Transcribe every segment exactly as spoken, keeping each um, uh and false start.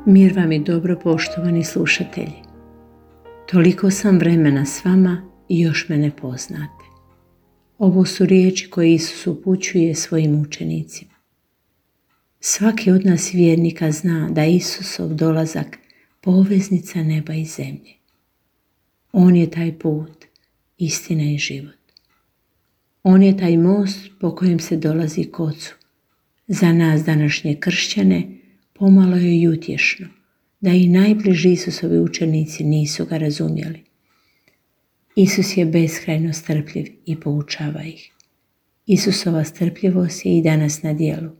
Mir vam i dobro, poštovani slušatelji. Toliko sam vremena s vama i još me ne poznate. Ovo su riječi koje Isus upućuje svojim učenicima. Svaki od nas vjernika zna da je Isusov dolazak poveznica neba i zemlje. On je taj put, istina i život. On je taj most po kojem se dolazi k Ocu. Za nas današnje kršćane pomalo je i utješno da i najbliži Isusovi učenici nisu ga razumjeli. Isus je beskrajno strpljiv i poučava ih. Isusova strpljivost je i danas na djelu.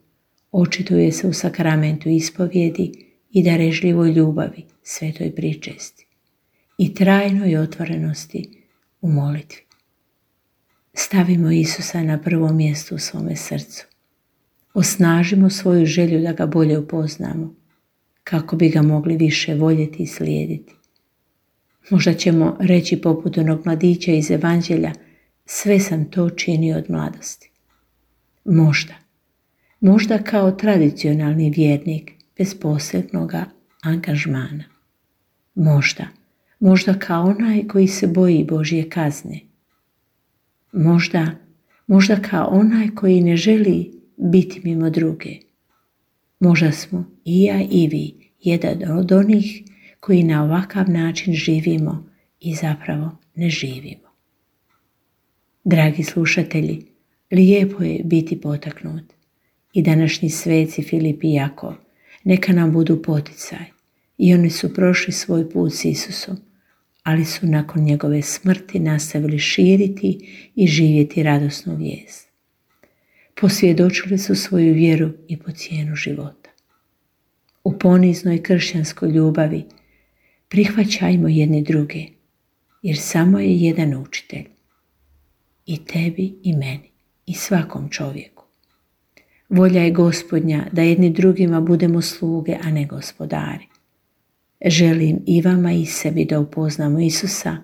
Očituje se u sakramentu ispovjedi i darežljivoj ljubavi, svetoj pričesti i trajnoj otvorenosti u molitvi. Stavimo Isusa na prvo mjesto u svome srcu. Osnažimo svoju želju da ga bolje upoznamo, kako bi ga mogli više voljeti i slijediti. Možda ćemo reći poput onog mladića iz Evanđelja, sve sam to činio od mladosti. Možda, možda kao tradicionalni vjernik bez posebnog angažmana. Možda, možda kao onaj koji se boji Božje kazne. Možda, možda kao onaj koji ne želi biti mimo druge. Možda smo i ja i vi jedan od onih koji na ovakav način živimo i zapravo ne živimo. Dragi slušatelji, lijepo je biti potaknut i današnji sveci Filip i Jakov neka nam budu poticaj i oni su prošli svoj put s Isusom, ali su nakon njegove smrti nastavili širiti i živjeti radosnu vijest. Posvjedočili su svoju vjeru i po cijenu života. U poniznoj kršćanskoj ljubavi prihvaćajmo jedni druge, jer samo je jedan učitelj, i tebi i meni i svakom čovjeku. Volja je Gospodnja da jedni drugima budemo sluge, a ne gospodari. Želim i vama i sebi da upoznamo Isusa,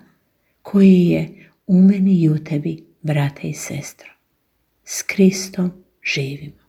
koji je u meni i u tebi, brate i sestro. S Kristom živimo.